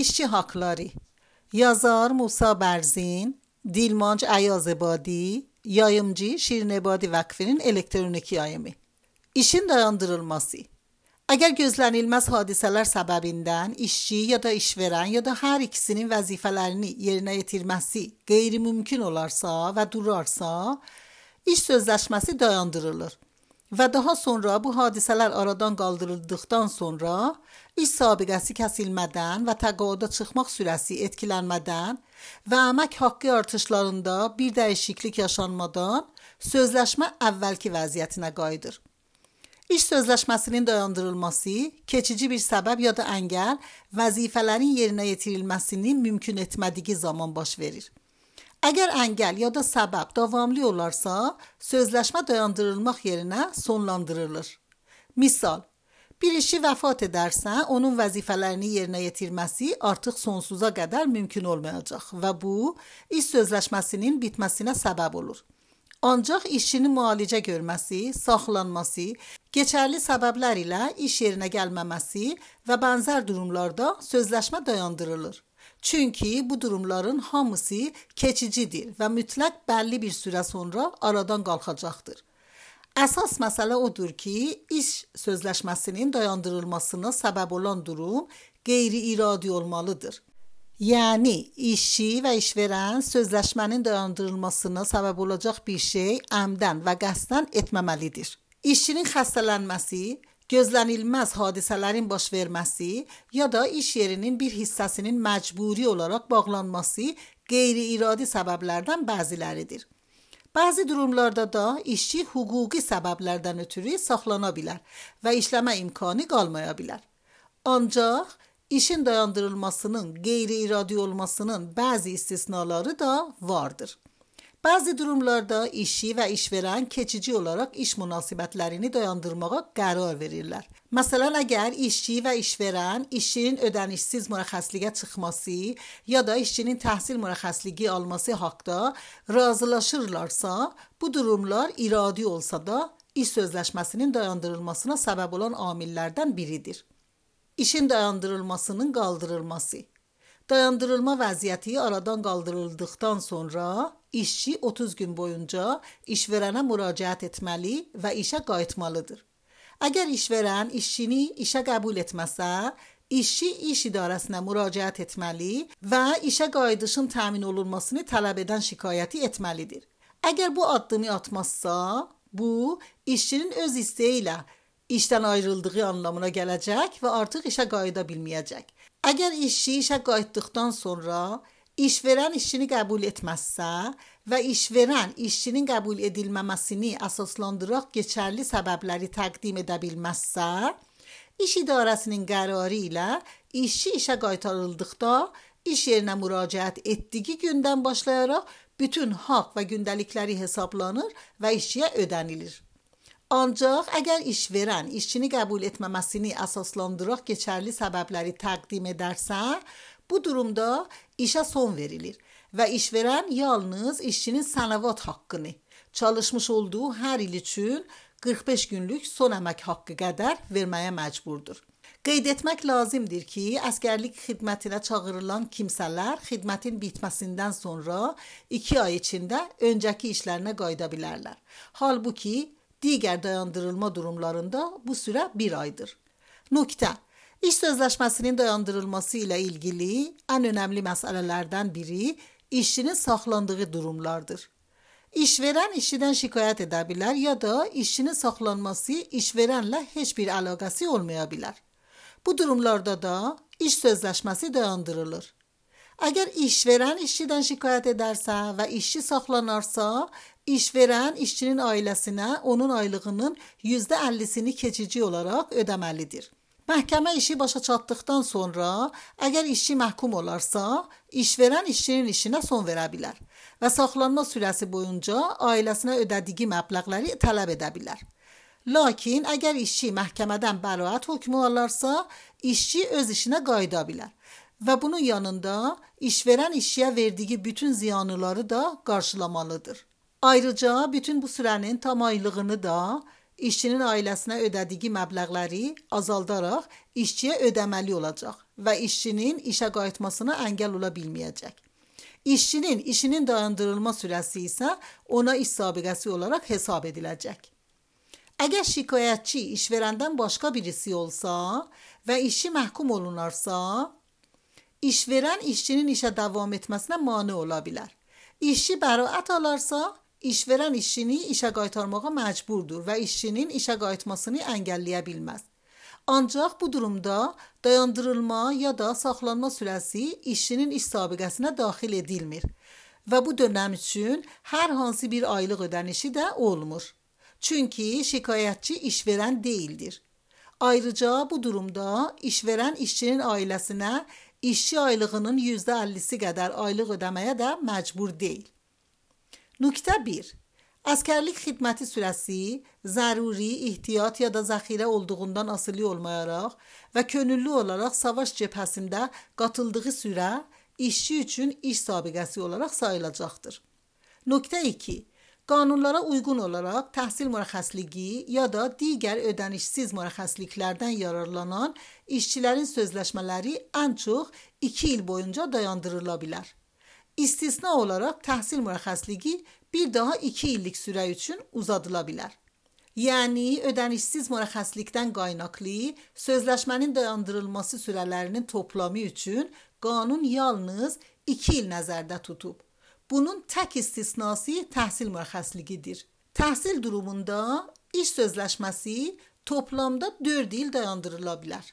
İşçi Hakları. Yazar Musa Berzin, Dilmanc Ayazebadi, yayımcı Şirin Ebadi Vakfı'nın elektronik yayımı. İşin dayandırılması. Əgər gözlənilməz hadisələr səbəbindən işçi ya da işverən ya da hər ikisinin vəzifələrini yerinə yetirməsi qeyri-mümkün olarsa və durarsa, iş sözləşməsi dayandırılır və daha sonra bu hadisələr aradan qaldırıldıqdan sonra iş sabiqəsi kəsilmədən və təqaüdə çıxmaq sürəsi etkilənmədən və əmək haqqı artışlarında bir dəyişiklik yaşanmadan sözləşmə əvvəlki vəziyyətinə qayıdır. İş sözləşməsinin dayandırılması, keçici bir səbəb ya da əngəl vəzifələrin yerinə yetirilməsini mümkün etmədiyi zaman baş verir. Əgər əngəl ya da səbəb davamlı olarsa, sözləşmə dayandırılmaq yerinə sonlandırılır. Misal, bir işçi vəfat edərsə, onun vəzifələrini yerinə yetirməsi artıq sonsuza qədər mümkün olmayacaq və bu, iş sözləşməsinin bitməsinə səbəb olur. Ancaq işçinin müalicə görməsi, saxlanması, keçərli səbəblər ilə iş yerinə gəlməməsi və bənzər durumlarda sözləşmə dayandırılır. Çünki bu durumların hamısı keçicidir və mütləq bəlli bir sürə sonra aradan qalxacaqdır. Əsas məsələ odur ki, iş sözləşməsinin dayandırılmasına səbəb olan durum qeyri-iradi olmalıdır. Yəni, işçi və işverən sözləşmənin dayandırılmasına səbəb olacaq bir şey əmdən və qəsdən etməməlidir. İşçinin xəstələnməsi, gözlənilməz hadisələrin baş verməsi ya da iş yerinin bir hissəsinin məcburi olaraq bağlanması qeyri-iradi səbəblərdən bəziləridir. Bəzi durumlarda da işçi hüquqi səbəblərdən ötürü saxlana bilər və işləmə imkanı qalmaya bilər. Ancaq İşin dayandırılmasının qeyri-iradi olmasının bəzi istisnaları da vardır. Bəzi durumlarda işçi və işverən keçici olaraq iş münasibətlərini dayandırmağa qərar verirlər. Məsələn, əgər işçi və işverən işçinin ödənişsiz mürəxxəsliyə çıxması ya da işçinin təhsil mürəxxəsliyi alması haqqında razılaşırlarsa, bu durumlar iradi olsa da iş sözləşməsinin dayandırılmasına səbəb olan amillərdən biridir. İşin dayandırılmasının qaldırılması. Dayandırılma vəziyyəti aradan qaldırıldıqdan sonra işçi 30 gün boyunca işverənə müraciət etməli və işə qayıtmalıdır. Əgər işverən işçini işə qəbul etməsə, işçi iş idarəsinə müraciət etməli və işə qayıdışın təmin olunmasını tələb edən şikayəti etməlidir. Əgər bu addımı atmazsa, bu işçinin öz istəyi ilə işdən ayrıldığı anlamına gələcək və artıq işə qayıda bilməyəcək. Əgər işçi işə qayıtdıqdan sonra işverən işçini qəbul etməzsə və işverən işçinin qəbul edilməməsini əsaslandıraq keçərli səbəbləri təqdim edə bilməzsə, iş idarəsinin qərarı ilə işçi işə qaytarıldıqda iş yerinə müraciət etdiyi gündən başlayaraq bütün haqq və gündəlikləri hesablanır və işçiyə ödənilir. Ancaq əgər işverən işçini qəbul etməməsini əsaslandıraq keçərli səbəbləri təqdim edərsə, bu durumda işə son verilir və işverən yalnız işçinin sənəvat haqqını, çalışmış olduğu hər il üçün 45 günlük son əmək haqqı qədər verməyə məcburdur. Qeyd etmək lazımdır ki, əsgərlik xidmətinə çağırılan kimsələr xidmətin bitməsindən sonra 2 ay içində öncəki işlərinə qayıda bilərlər. Halbuki digər dayandırılma durumlarında bu sürə 1 aydır. Nöqtə: İş sözləşməsinin dayandırılması ilə ilgili ən önəmli məsələlərdən biri işçinin saxlandığı durumlardır. İşverən işçidən şikayət edə bilər ya da işçinin saxlanması işverənlə heç bir əlaqəsi olmaya bilər. Bu durumlarda da iş sözləşməsi dayandırılır. Əgər işverən işçidən şikayət edərsə və işçi saxlanarsa, işverən işçinin ailəsinə onun aylığının %50'sini keçici olaraq ödəməlidir. Məhkəmə işi başa çatdıqdan sonra, əgər işçi məhkum olarsa, işverən işçinin işinə son verə bilər və saxlanma sürəsi boyunca ailəsinə ödədiyi məbləğləri tələb edə bilər. Lakin əgər işçi məhkəmədən bəraət hökmü alarsa, işçi öz işinə qayıda bilər və bunun yanında işverən işçiyə verdiyi bütün ziyanları da qarşılamalıdır. Ayrıca bütün bu sürənin tam aylığını da işçinin ailəsinə ödədiyi məbləğləri azaldaraq işçiyə ödəməli olacaq və işçinin işə qayıtmasına əngəl ola bilməyəcək. İşçinin işinin dayandırılma sürəsi isə ona iş sabiqəsi olaraq hesab ediləcək. Əgər şikayətçi işverəndən başqa birisi olsa və işçi məhkum olunarsa, işverən işçinin işə davam etməsinə mane ola bilər. İşçi bəraət alarsa, işverən işçini işə qaytarmağa məcburdur və işçinin işə qayıtmasını əngəlləyə bilməz. Ancaq bu durumda dayandırılma ya da saxlanma sürəsi işçinin iş sabiqəsinə daxil edilmir və bu dönəm üçün hər hansı bir aylıq ödənişi də olmur. Çünki şikayətçi işverən deyildir. Ayrıca bu durumda işverən işçinin ailəsinə işçi aylığının %50'si qədər aylıq ödəməyə də məcbur deyil. Nöqtə 1. Əskərlik xidməti sürəsi zəruri, ehtiyat ya da zəxirə olduğundan asılı olmayaraq və könüllü olaraq savaş cəbhəsində qatıldığı sürə işçi üçün iş sabiqəsi olaraq sayılacaqdır. Nöqtə 2. Qanunlara uyğun olaraq təhsil mürəxxəsliyi ya da digər ödənişsiz mürəxxəsliklərdən yararlanan işçilərin sözləşmələri ən çox 2 il boyunca dayandırıla bilər. İstisna olaraq təhsil mürəxxəsliyi bir daha 2 illik sürə üçün uzadıla bilər. Yəni, ödənişsiz mürəxxəslikdən qaynaqlı sözləşmənin dayandırılması sürələrinin toplamı üçün qanun yalnız 2 il nəzərdə tutub. Bunun tək istisnası təhsil mürəxxəsliyidir. Təhsil durumunda iş sözləşməsi toplamda 4 il dayandırıla bilər.